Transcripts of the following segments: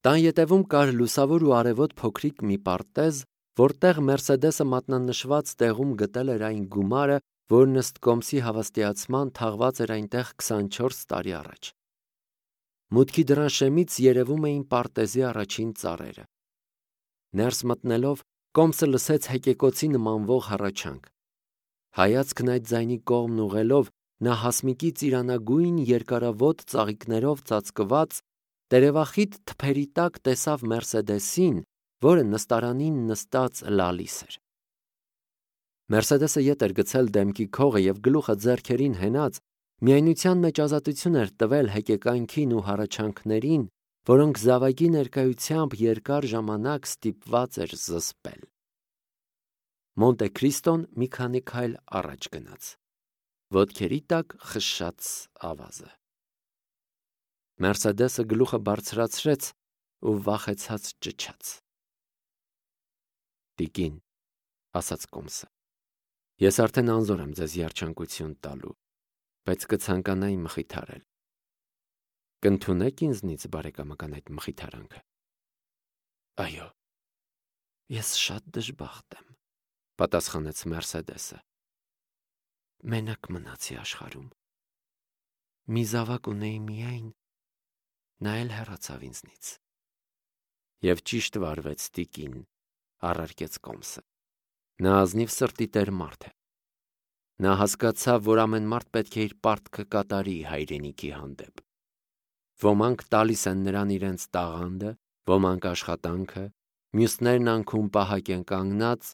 Տան ետևում կար լուսավոր ու արևոտ փոքրիկ մի պարտեզ, որտեղ Մերսեդեսը մատնանշված տեղում գտել էր այն գումարը, որն ըստ Կոմսի հավաստիացման թաղված էր այնտեղ 24 տարի առաջ։ Մուտքի դռան շեմից երևում էին պարտեզի առաջին ծառերը։ Ներս մտնելով, Կոմսը լսեց հեկեկոցի նմանվող հառաչանք։ Հայացքն այդ ձայնի կողմն ուղղելով, նա հասմիկի ծիրանագույն երկարավոտ ծաղիկներով ծածկված տերևախիտ թփերի տակ տեսավ Մերսեդեսին, որը նստարանին նստած լալիս էր։ Մերսեդեսը ետ էր գցել դեմքի քողը և գլուխը ձեռքերին հենած, միայնության մեջ ազատություն էր տվել հեկեկանքին ու հառաչանքներին, որոնք զավակի ներկայությամբ երկար ժամանակ ստիպված էր զսպել։ Մոնտե Քրիստոն մի քանի քայլ առաջ գնաց։ Ոտքերի տակ խշշաց ավազը։ Մերսեդեսը գլուխը բարձրացրեց ու վախեցած ճչաց։ «Տիկին», ասաց Կոմսը, «ես արդեն անզոր եմ ձեզ երջանկություն տալու, բայց կցանկանայի մխիթարել։ Կընդունե՞ք ինձնից բարեկամական այդ մխիթարանքը»։ «Այո, ես շատ դժբախտ եմ», պատասխանեց Մերսեդեսը։ «Մենակ մնացի աշխարհում։ Մի զավակ ունեի միայն, նա էլ հեռացավ ինձնից»։ «Եվ ճիշտ վարվեց, տիկին», առարկեց Կոմսը։ Նա ազնիվ սրտի տեր մարդ է։ Նա հասկացավ, որ ամեն մարդ պետք է իր պարտքը կատարի հայրենիքի հանդեպ։ Ոմանք տալիս են նրան իրենց տաղանդը, ոմանք աշխատանքը, մյուսներն անքում պահակ են կանգնած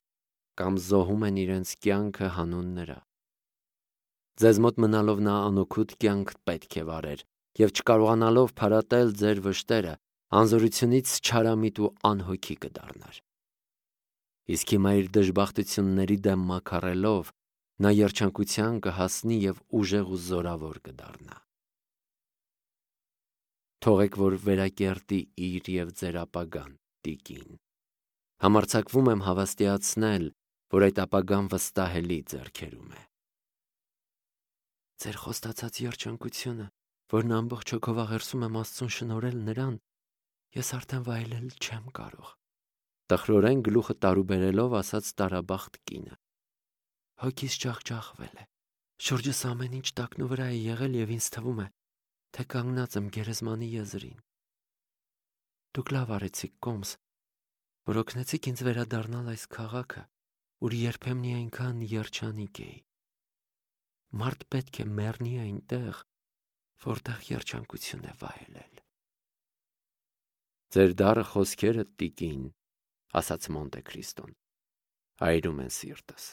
կամ զոհում են իրենց կյանքը հանուն նրա։ Ձեզ մոտ մնալով նա անօգուտ կյանք պետք է վարեր և չկարողանալով փարատել ձեր վշտերը, անզորությունից չարամիտ ու անհոգի կդառնար։ Իսկ հիմա իր դժբախտությունների դեմ մաքարելով, նա երջանկության կհասնի և ուժեղ ու զորավոր կդառնա։ Թողեք, որ վերակերտի իր և ձեր ապագան, տիկին։ Համարձակվում եմ հավաստիացնել, որ այդ ապագան վստահելի ձեռքերում է։ Ձեր խոստացած երջանկությունը, որն ամբողջ հոգով աղերսում եմ Աստծուն շնորհել նրան, ես արդեն վայելել չեմ կարող, տխրորեն գլուխը տարուբերելով ասաց տարաբախտ կինը։ Հոգիս ջախջախվել է, շուրջս ամեն ինչ տակնու վրա է եղել և ինձ թվում է, թե կանգնած եմ գերեզմանի եզրին։ Դուք լավ արեցիք, Կոմս, որ օգնեցիք ինձ վերադառնալ այս քաղաքը, ուր երբեմնի այնքան երջանիկ էի։ Մարդ պետք է մեռնի այնտեղ, որտեղ երջանկություն է վայելել։ Ձեր դառը խոսքերը, տիկին, ասաց Մոնտե Քրիստոն, այրում են սիրտս։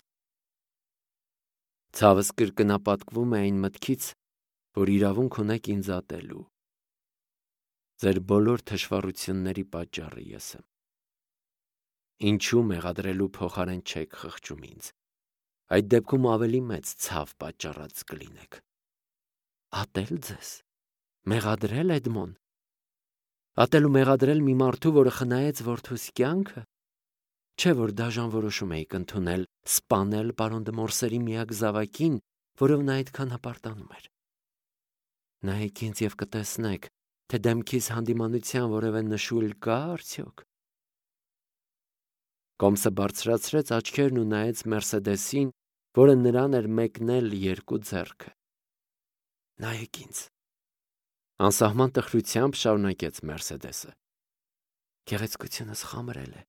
Ցավս կրկնապատկվում է այն մտքից, որ իրավունք ունեք ինձ ատելու։ Ձեր բոլոր թշվառությունների պատճառը ես եմ։ Ինչու մեղադրելու փոխարեն չեք խղճում ինձ։ Այդ դեպքում ավելի մեծ ցավ պատճառած կլինեք։ Ատել ձեզ։ Մեղադրել, Էդմոն։ Ատել ու մեղադրել մի մարդու, որը խնայեց որդուս կյանքը։ Չէ՞ որ դաժան որոշում էիք ընդունել սպանել պարոն դը Մորսերի միակ զավակին, որով նա այդքան հպարտանում էր։ Նայեք ինձ և կտեսնեք, թե դեմքիս հանդիմանության որևէ նշույլ կա արդյոք։ Կոմսը բարձրացրեց աչքերն ու նայեց Մերսեդեսին, որը նրան էր մեկնել երկու ձեռքը։ Նայեք ինձ։ Անսահման տխրությամբ շարունակեց Մերսեդեսը։ Գեղեցկությունս խամրել է,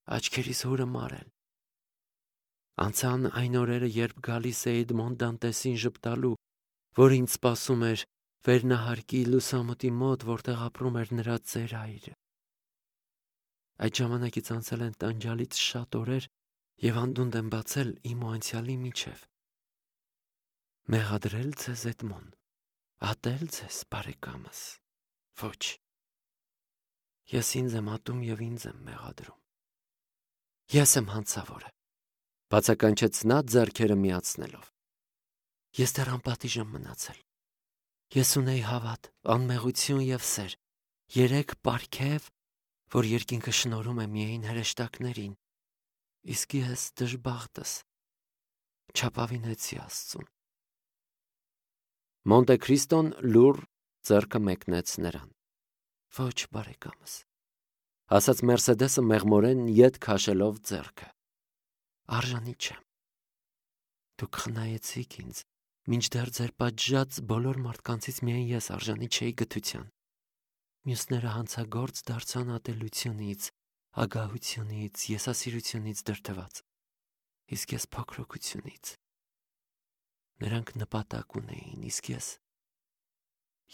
աչքերիս հուրը մարել։ Անցան այն օրերը, երբ գալիս էի Էդմոն Դանտեսին ժպտալու, որ ինձ սպասում էր վերնահարկի լուսամուտի մոտ, որտեղ ապրում էր նրա ծեր հայրը։ Այդ ժամանակից անցել են տանջալից շատ օրեր և անդունդ եմ բացել իմ ու անցյալի միջև։ Մեղադրել ձեզ, Էդմոն, ատել ձեզ, բարեկամս։ Ոչ։ Ես ինձ եմ ատում և ինձ եմ մեղադրում։ Ես եմ հանցավորը, բացականչեց նա ձեռքերը միացնելով։ Ես դեռ անպատիժ եմ մնացել։ Ես ունեի հավատ, անմեղություն և սեր, 3 պարգև, որ երկինքը շնորհում է միայն հրեշտակներին, իսկ ես դժբախտս չապավինեցի Աստծուն։ Մոնտե Քրիստոն լուռ ձեռքը մեկնեց նրան։ Ոչ, բարեկամս, ասաց Մերսեդեսը մեղմորեն ետ քաշելով ձեռքը։ Արժանի չեմ։ Դուք խնայեցիք ինձ, մինչդեռ ձեր պատժած բոլոր մարդկանցից միայն ես արժանի չէի գթության։ Մյուսները հանցագործ դարձան ատելությունից, ագահությունից, եսասիրությունից դրդված, իսկ ես փոքրությունից։ Նրանք նպատակ ունեին, իսկ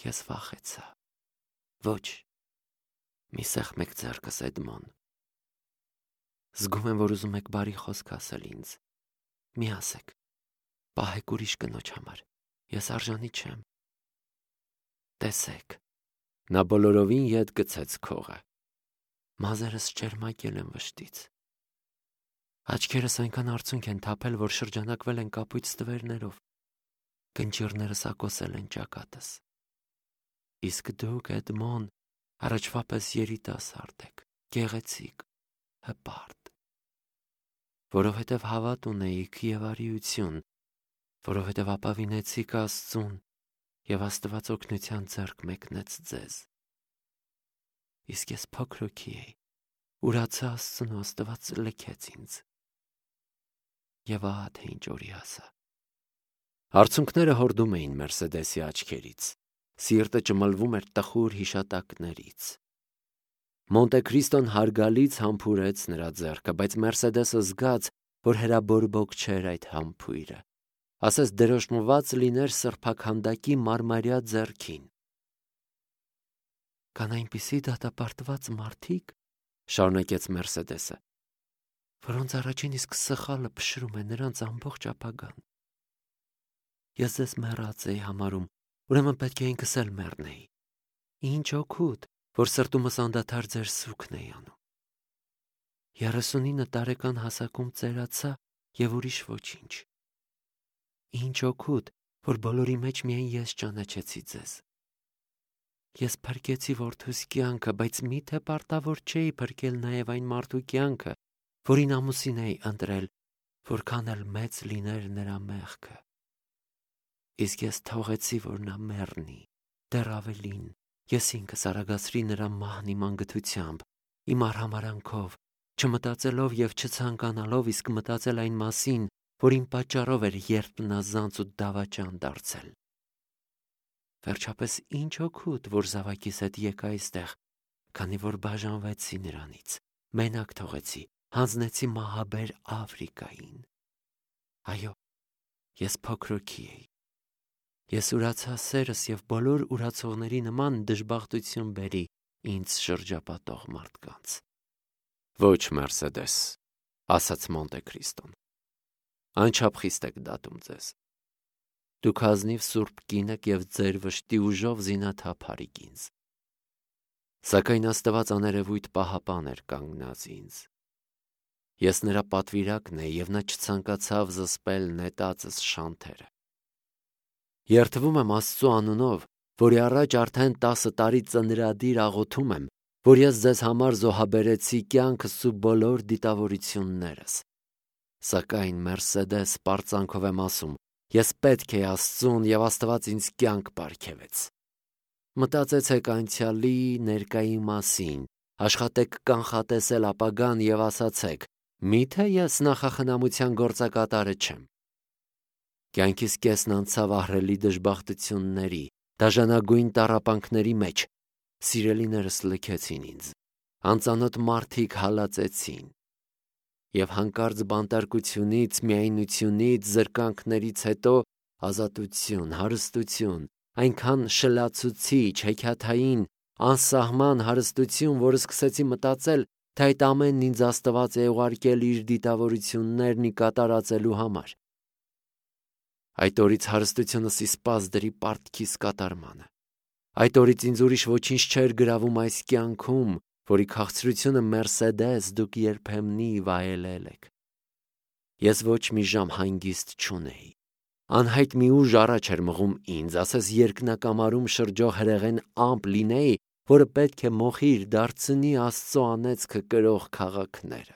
ես վախեցա։ Ոչ, մի սեղմեք ձեռքս, Էդմոն։ Զգում եմ, որ ուզում եք բարի խոսք ասել ինձ։ Մի ասեք, պահեք ուրիշ կնոջ համար, ես արժանի չեմ։ Տեսեք, նա բոլորովին ետ գցեց քողը։ Մազերս ճերմակել են վշտից։ Աչքերս այնքան արցունք են թափել, որ շրջանակվել են կապույտ ստվերներով։ Կնճիռներս ակոսել են ճակատս։ Իսկ դուք, Էդմոն, առաջվա պես երիտասարդ եք, գեղեցիկ, հպարտ։ Որովհետև հավատ ունեիք և արիություն, որովհետև ապավինեցիք Աստծուն և Աստված օգնության ձեռք մեկնեց ձեզ։ Իսկ ես փոքրուքի էի, ուրացա Աստծուն ու Աստված լքեց ինձ։ Եվ ահա թե ինչ օրի հասա։ Արցունքները հորդում էին Մերսեդեսի աչքերից, սիրտը ճմլվում էր տխուր հիշատակներից։ Մոնտե Քրիստոն հարգալից համբուրեց նրա ձեռքը, բայց Մերսեդեսը զգաց, որ հրաբորբոք չէր այդ համբույրը, ասես դրոշմված լիներ սրբաքանդակի մարմարյա ձեռքին։ Կան այնպիսի դատապարտված մարդիկ, շարունակեց Մերսեդեսը, որոնց առաջին իսկ սխալը փշրում է նրանց ամբողջ ապագան։ Ես ձեզ մեռած էի համարում, ուրեմն պետք է ինքս էլ մեռնեի։ Ինչ օգուտ, որ սրտումս անդադար ձեր սուքն էի անում։ 39 տարեկան հասակում ծերացա և ուրիշ ոչինչ։ Ինչ օգուտ, որ բոլորի մեջ միայն ես ճանաչեցի ձեզ։ Ես փրկեցի որդուս կյանքը, բայց միթե պարտավոր չէի փրկել նաև այն մարդու կյանքը, որին ամուսին էի ընտրել, որքան էլ մեծ լիներ նրա մեղքը։ Իսկ ես թողեցի, որ նա մեռնի, դեռ ավելին, ես ինքս արագացրի նրա մահն իմ անգթությամբ, իմ արհամարանքով, չմտածելով և չցանկանալով իսկ մտածել այն մասին, որ իմ պատճառով էր երբնազանց ու դավաճան դարձել։ Վերջապես ինչ օգուտ, որ զավակիս հետ եկա այստեղ, քանի որ բաժանվեցի նրանից, մենակ թողեցի, հանձնեցի մահաբեր Աֆրիկային։ Այո, ես փոքրուքի էի։ Ես ուրացա սերս և բոլոր ուրացողների նման դժբախտություն բերի ինձ շրջապատող մարդկանց։ Ոչ, Մերսեդես, ասաց Մոնտե Քրիստոն, անչափ խիստ եք դատում ձեզ։ Դուք ազնիվ սուրբ կին եք և ձեր վշտի ուժով զինաթափարիք ինձ։ Սակայն Աստված աներևույթ պահապան էր կանգնած ինձ։ Ես նրա պատվիրակն էի և նա չցանկացավ զսպել նետածս շանթերը։ Երդվում եմ Աստծու անունով, որի առաջ արդեն 10 տարի ծնրադիր աղոթում եմ, որ ես ձեզ համար զոհաբերեցի կյանքս ու բոլոր դիտավորություններս։ Սակայն Մերսեդես պարծանքով եմ ասում, ես պետք էի Աստծուն և Աստված ինձ կյանք պարգևեց։ Մտածեցեք անցյալի, ներկայի մասին, աշխատեք կանխատեսել ապագան և ասացեք, միթե ես նախախնամության գործակատարը չեմ։ Կյանքիս կեսն անցավ ահռելի դժբախտությունների, դաժանագույն տառապանքների մեջ, սիրելիներս լքեցին ինձ, անծանոթ մարդիկ հալածեցին, և հանկարծ բանտարկությունից, միայնությունից, զրկանքներից հետո ազատություն, հարստություն, այնքան շլացուցիչ, հեքիաթային, անսահման հարստություն, որ սկսեցի մտածել, թե այդ ամենն ինձ Աստված է ուղարկել իր դիտավորություններն ի կատարածելու համար։ Այդ օրից հարստությունս իսպաս դրի պարտքիս կատարմանը։ Այդ օրից ինձ ուրիշ ոչինչ չէր գրավում այս կյանքում, որի քաղցրությունը Մերսեդես դուք երբեմնի վայելել եք։ Ես ոչ մի ժամ հանգիստ չունեի։ Անհայտ մի ուժ առաջ էր մղում ինձ, ասես երկնակամարում շրջող հրեղեն ամպ լինեի, որը պետք է մոխիր դարձնի Աստծո անեծքը կրող քաղաքները։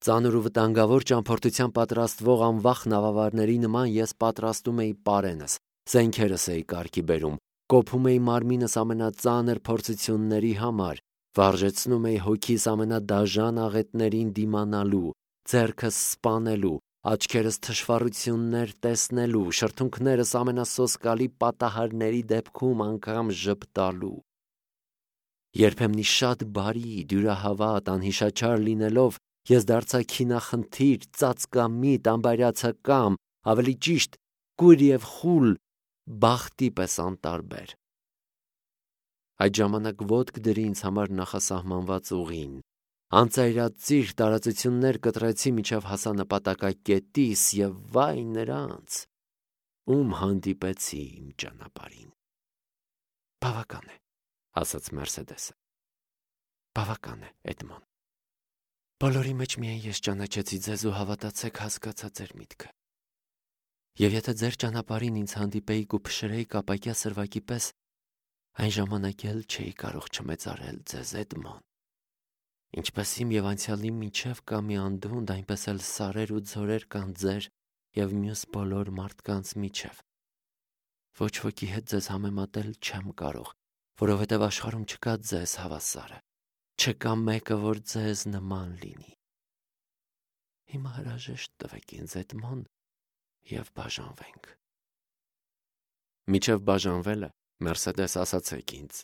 Ծանր ու վտանգավոր ճամփորդության պատրաստվող անվախ նավավարների նման ես պատրաստում էի պարենս, զենքերս էի կարգի բերում, կոփում էի մարմինս ամենածանր փորձությունների համար, վարժեցնում էի հոգիս ամենադաժան աղետներին դիմանալու, ձեռքս սպանելու, աչքերս թշվառություններ տեսնելու, շրթունքներս ամենասոսկալի պատահարների դեպքում անգամ ժպտալու։ Երբեմնի շատ բարի, դյուրահավատ, անհիշաչար լինելով, ես դարձա քինախնդիր, ծածկամիտ, անբարյացակամ, ավելի ճիշտ, կույր և խուլ, բախտի պես անտարբեր։ Այդ ժամանակ ոտք դրի ինձ համար նախասահմանված ուղին, անծայրածիր տարածություններ կտրեցի մինչև հասա նպատակակետիս և վայ նրանց, ում հանդիպեցի իմ ճանապարհին։ Բավական է, ասաց Մերսեդեսը։ Բավական է, Էդմոն։ Բոլորի մեջ միայն ես ճանաչեցի ձեզ ու հավատացեք հասկացա ձեր միտքը։ Եվ եթե ձեր ճանապարհին ինձ հանդիպեիք ու փշրեիք ապակյա սրվակի պես, այն ժամանակ էլ չէի կարող չմեծարել ձեզ, Էդմոն։ Ինչպես իմ և անցյալի միջև կա մի անդունդ, այնպես էլ սարեր ու ձորեր կան ձեր և մյուս բոլոր մարդկանց միջև։ Ոչ ոքի հետ ձեզ համեմատել չեմ կարող, որովհետև աշխարհում չկա ձեզ հավասարը, չկա մեկը, որ ձեզ նման լինի։ Հիմա հրաժեշտ տվեք ինձ, Էդմոն, և բաժանվենք։ Միջև բաժանվելը, Մերսեդես, ասացեք ինձ,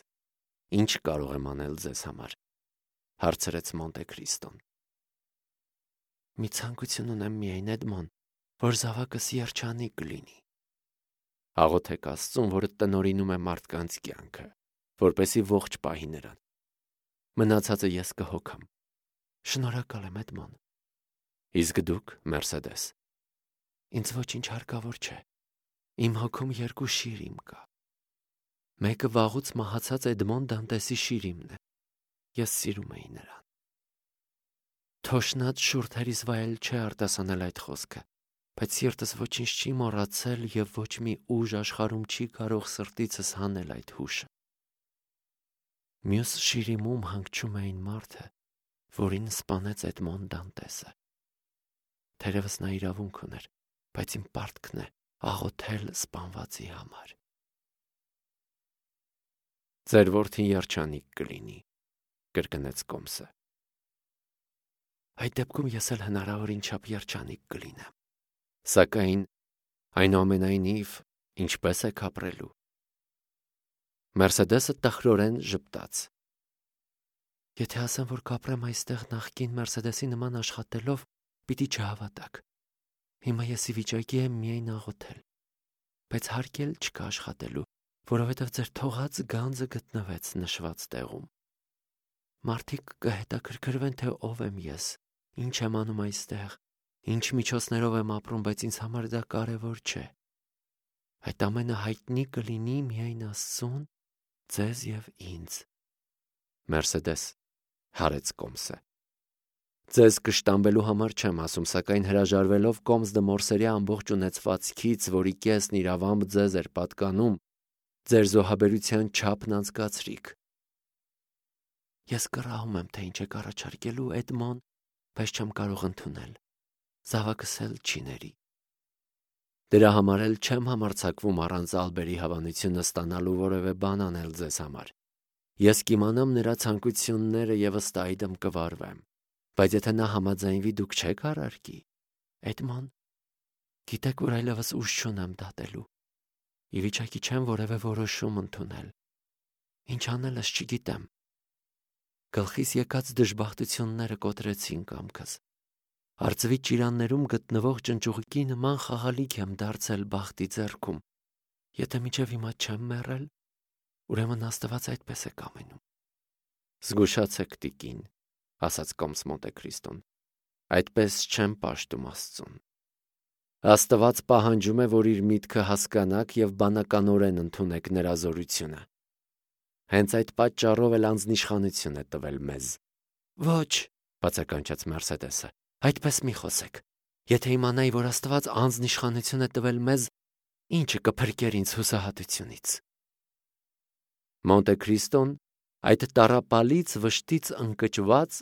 ինչ կարող եմ անել ձեզ համար, հարցրեց Մոնտե Քրիստոն։ Մի ցանկություն ունեմ միայն, Էդմոն, որ զավակս երջանիկ կլինի։ Աղոթեք Աստծուն, որը տնօրինում է մարդկանց կյանքը, որպեսզի ողջ պահի նրան։ Մնացածը ես կհոգամ։ Շնորհակալ եմ, Էդմոն։ Իսկ դուք, Մերսեդես։ Ինձ ոչինչ հարկավոր չէ։ Իմ հոգում երկու շիրիմ կա։ Մեկը վաղուց մահացած Էդմոն Դանտեսի շիրիմն է։ Ես սիրում էի նրան։ Թոշնած շուրթերիս վայել չէ արտասանել այդ խոսքը, բայց սիրտս ոչինչ չի մոռացել և ոչ մի ուժ աշխարհում չի կարող սրտիցս հանել այդ հուշը։ Մյուս շիրիմում հանգչում է այն մարդը, որին սպանեց Էդմոն Դանտեսը։ Թերևս նա իրավունք ուներ, բայց իմ պարտքն է աղոթել սպանվածի համար։ Ձեր որդին երջանիկ կլինի, կրկնեց Կոմսը։ Այդ դեպքում ես էլ հնարավորին չափ երջանիկ կլինեմ։ Սակայն այնուամենայնիվ ինչպես եք ապրելու։ Մերսեդեսը տխրորեն ժպտաց։ Եթե ասեմ, որ կապրեմ այստեղ նախկին Մերսեդեսի նման աշխատելով, պիտի չհավատաք։ Հիմա ես ի վիճակի եմ միայն աղոթել, բայց հարկ էլ չկա աշխատելու, որովհետև ձեր թողած գանձը գտնվեց նշված տեղում։ Մարդիկ կհետաքրքրվեն, թե ով եմ ես, ինչ եմ անում այստեղ, ինչ միջոցներով եմ ապրում, բայց ինձ համար դա կարևոր չէ։ Այդ ամենը հայտնի կլինի միայն Աստծուն, ձեզ և ինձ։ Մերսեդես, հարեց Կոմսը։ Ձեզ կշտամբելու համար չեմ ասում, սակայն հրաժարվելով Կոմս դե Մորսերի ամբողջ ունեցվածքից, որի կեսն իրավամբ ձեզ էր պատկանում, ձեր զոհաբերության չափն անցկացրիք։ Ես կռահում եմ, թե ինչ եք առաջարկելու, Էդմոն, բայց չեմ կարող ընդունել։ Զավակս էլ չի ների։ Դրա համար էլ չեմ համարձակվում առանց Ալբերի հավանությունը ստանալու որևէ բան անել ձեզ համար։ Ես կիմանամ նրա ցանկությունները և ըստ այդմ կվարվեմ։ Բայց եթե նա համաձայնվի, դուք չեք առարկի։ Էդմոն, գիտեք, որ այլևս ուժ չունեմ դատելու։ Ի վիճակի չեմ որևէ որոշում ընդունել։ Ինչ անելս չգիտեմ։ Գլխիս եկած դժբախտությունները կոտրեցին կամքս։ Արծվի ճիրաններում գտնվող ճնճուղիկի նման խաղալիք եմ դարձել բախտի ձեռքում։ Եթե մինչև հիմա չեմ մեռել, ուրեմն Աստված այդպես է կամենում։ Զգուշացեք, տիկին, ասաց Կոմս Մոնտե Քրիստոն։ Այդպես չեմ պաշտում Աստծուն։ Աստված պահանջում է, որ իր միտքը հասկանաք և բանականորեն ընդունեք նրա զորությունը։ Հենց այդ պատճառով էլ անձնիշխանություն է տվել մեզ։ Ոչ, բացականչեց Մերսեդեսը, այդպես մի խոսեք։ Եթե իմանայի, որ Աստված անձնիշխանություն է տվել մեզ, ինչը կփրկեր ինձ հուսահատությունից։ Մոնտե Քրիստոն այդ տառապալից վշտից ընկճված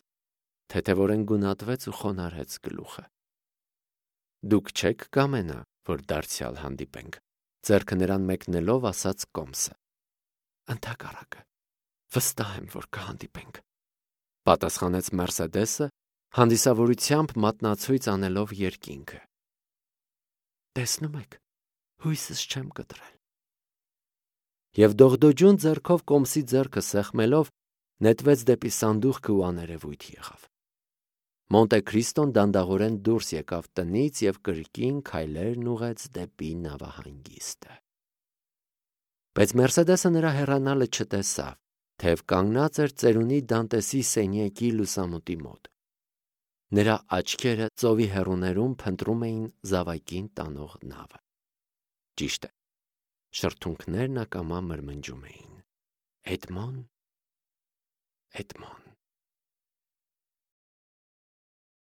թեթևորեն գունատվեց ու խոնարհեց գլուխը։ Դուք չեք կամենա, որ դարձյալ հանդիպենք, ձեռքը նրան մեկնելով ասաց Կոմսը։ Ընդհակառակը, վստահ եմ, որ կհանդիպենք, պատասխանեց Մերսեդեսը, հանդիսավորությամբ մատնացույց անելով երկինքը։ Տեսնում եք, հույսս չեմ կտրել։ Եվ դողդոջուն ձեռքով կոմսի ձեռքը սեղմելով, նետվեց դեպի սանդուղքը ու աներևույթ եղավ։ Մոնտե Քրիստոն դանդաղորեն դուրս եկավ տնից և կրկին քայլերն ուղղեց դեպի նավահանգիստը։ Բայց Մերսեդեսը նրա հեռանալը չտեսավ, թեև կանգնած էր ծերունի Դանտեսի սենյակի լուսամուտի մոտ։ Նրա աչքերը ծովի հեռուներում փնտրում էին զավակին տանող նավը։ Ճիշտ է, շրթունքներն ակամա մրմնջում էին. Էդմոն, Էդմոն։